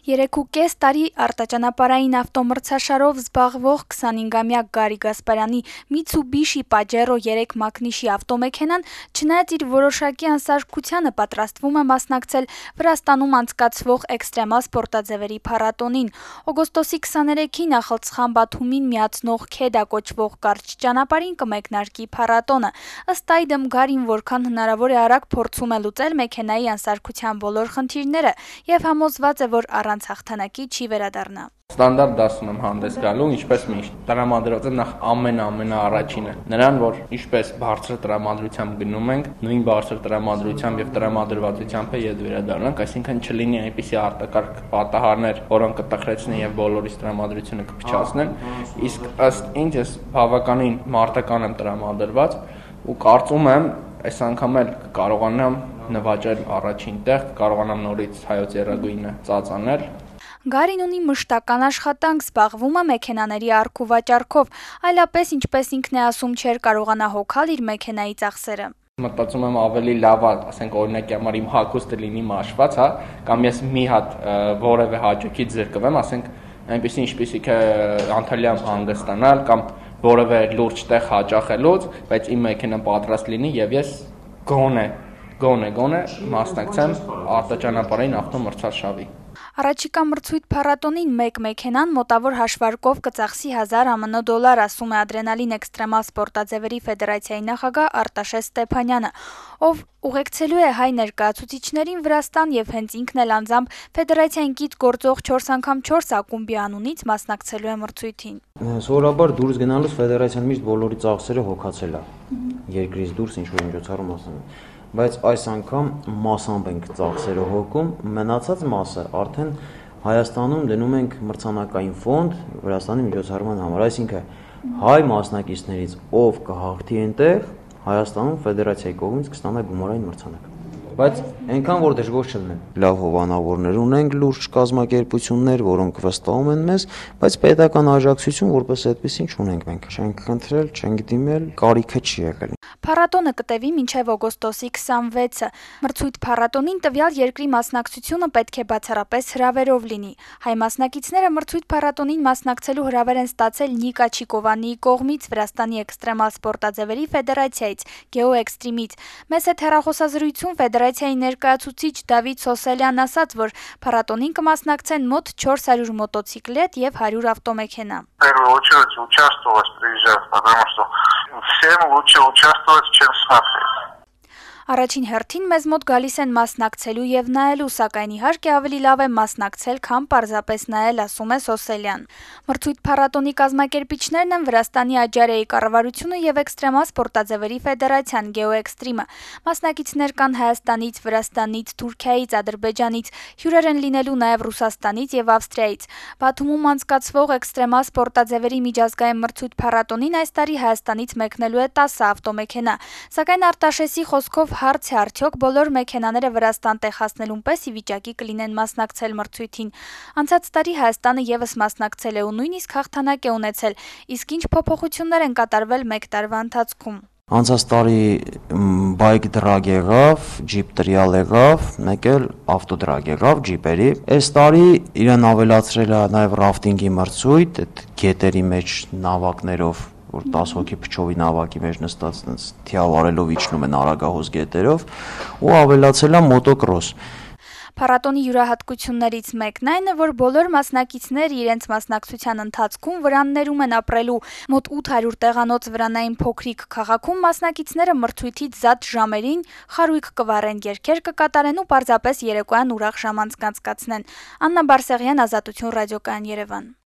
3.5 տարի արտաճանապարհային ավտոմրցաշարով զբաղվող 25-ամյա Գարի Գասպարյանի Mitsubishi Pajero 3 մակնիշի ավտոմեքենան, չնայած իր որոշակի անսարքությանը, պատրաստվում է մասնակցել Վրաստանում անցկացվող էքստրեմալ սպորտաձևերի փառատոնին։ Օգոստոսի 23-ին Ախալցխան Բաթումին միացնող Քեդա կոչվող կարճ ճանապարհին կմեկնարկի փառատոնը։ Ըստ այդմ Գարին որքան հնարավոր է արագ փորձում է լուծել մեքենայի անսարքության բոլոր խնդիրները եւ համոզված է, որ առանց հաղթանակի չի վերադառնա։ Ստանդարտ դասում եմ հանդես գալու, ինչպես միշտ։ Տրամադրված եմ նախ ամենաառաջինը, նրան, որ ինչպես բարձր տրամադրությամբ գնում ենք, նույն բարձր տրամադրությամբ եւ տրամադրվածությամբ է ետ վերադառնանք, այսինքն չլինի այնպիսի արտակարգ պատահարներ, որոնք կտխրեցնեն եւ բոլորիս տրամադրությունը կփչացնեն, իսկ ըստ ինձ ես բավականին մարտական եմ տրամադրված ու կարծում եմ, այս անգամ էլ կարողանամ նվաճել առաջին տեղ, կարողանամ նորից հայոց երագույնը ծածանել։ Գարին ունի մշտական աշխատանք, զբաղվում է մեքենաների առք ու վաճառքով, այլապես, ինչպես ինքն է ասում, չէր կարողանա հոգալ իր մեքենայի ծախսերը։ Մտածում եմ ավելի լավ, ասենք օրինակի համար իմ հագուստը լինի մաշված, հա, կամ ես մի հատ որևէ հաճույքից զրկվեմ, ասենք այնպեսի ինչպեսիք է Անտալիայում հանգստանալ կամ որևէ լուրջ տեղ հաճախելուց, բայց իմ մեքենան պատրաստ լինի եւ ես գոնե մասնակցեմ արտաճանապարհային ավտոմրցարշավի։ Առաջիկա մրցույթ փառատոնին մեկ մեքենան մոտավոր հաշվարկով կծախսի 1000 ԱՄՆ դոլար, ասում է Ադրենալին էքստրեմալ սպորտաձևերի ֆեդերացիայի նախագահ Արտաշես Ստեփանյանը, ով ուղեկցելու է հայ ներկայացուցիչներին Վրաստան եւ հենց ինքն էլ անձամբ ֆեդերացիային կից գործող 4x4 ակումբի անունից մասնակցելու է մրցույթին։ Սովորաբար դուրս գնալուց ֆեդերացիան միշտ բոլորի ծախսերը հոգացել է։ Երկրից դուրս ինչ-որ միջոցառում ասում են։ Բայց այս անգամ մասամբ ենք ծախսերը հոգում, մնացած մասը արդեն Հայաստանում դնում ենք մրցանակային ֆոնդ Վրաստանի միջոցառման համար, այսինքն հայ մասնակիցներից ով կհաղթի այնտեղ, Հայաստանում ֆեդերացիայի կողմից կստանա գումարային մրցանակ։ Բայց այնքան որ դժգոհ չլինեն։ Լավ հովանավորներ ունենք, լուրջ կազմակերպություններ, որոնք վստահում են մեզ, բայց պետական աջակցություն որպես այդպեսին չունենք մենք։ Չենք խնդրել, չենք դիմել, կարիքը չի եղել։ Փառատոնը կտևի մինչև օգոստոսի 26-ը։ Մրցույթ փառատոնին տվյալ երկրի մասնակցությունը պետք է բացառապես հրավերով լինի։ Հայ մասնակիցները մրցույթ փառատոնին մասնակցելու հրավեր են ստացել Նիկա Չիկովանիի կողմից Վրաստանի էքստրեմալ սպորտաձևերի ֆեդերացիայից, Գեոէքստրիմից։ Մեծ հետ հեռախոսազրույցում ֆեդերացիայի ներկայացուցիչ Դավիթ Սոսելյանն ասաց, որ փառատոնին կմասնակցեն մոտ 400 մոտոցիկլետ եւ 100 ավտոմեքենա։ Всем лучше участвовать, чем смотреть. Առաջին հերթին մեզ մոտ գալիս են մասնակցելու եւ նայելու, սակայն իհարկե ավելի լավ է մասնակցել, քան պարզապես նայել, ասում է Սոսելյան։ Մրցույթ փառատոնի կազմակերպիչներն են Վրաստանի Աջարեի կառավարությունը եւ էքստրեմալ սպորտաձևերի ֆեդերացիան Գեոէքստրիմը։ Մասնակիցներ կան Հայաստանից, Վրաստանից, Թուրքիայից, Ադրբեջանից, հյուրեր են լինելու նաեւ Ռուսաստանից եւ Ավստրիայից։ Բաթումում անցկացվող էքստրեմալ սպորտաձևերի միջազգային մրցույթ փառատոնին այս տարի Հայաստանից մեկնելու է 10 ավտոմեքենա, սակայն Արտաշեսի խոսքով հարց է արդյոք բոլոր մեքենաները Վրաստան տեղ հասնելուն պես ի վիճակի կլինեն մասնակցել մրցույթին։ Անցած տարի Հայաստանը եւս մասնակցել է ու նույնիսկ հաղթանակ է ունեցել, իսկ ինչ փոփոխություններ են կատարվել մեկ տարվա ընթացքում։ Անցած տարի բայկ դրագ եղավ, ջիպ տրիալ եղավ, մեկ էլ ավտոդրագ եղավ ջիպերի։ Այս տարի իրեն ավելացրել է նաեւ ռաֆտինգի մրցույթ, այդ գետերի մեջ նավակներով, որ 10 հոգի փչովի նավակի մեջ նստած թիավարելով իջնում են արագահոս գետերով ու ավելացել է մոտոկրոս։ Փառատոնի յուրահատկություններից մեկն այն է, որ բոլոր մասնակիցները իրենց մասնակցության ընթացքում վրաններում են ապրելու։ Մոտ 800 տեղանոց վրանային փոքրիկ քաղաքում մասնակիցները մրցույթից զատ ժամերին խարույկ կվառեն, երգեր կկատարեն ու պարզապես երեկոյան ուրախ ժամ անցկացնեն։ Աննա Բարսեղյան, Ազատություն ռադիոկայան, Երևան։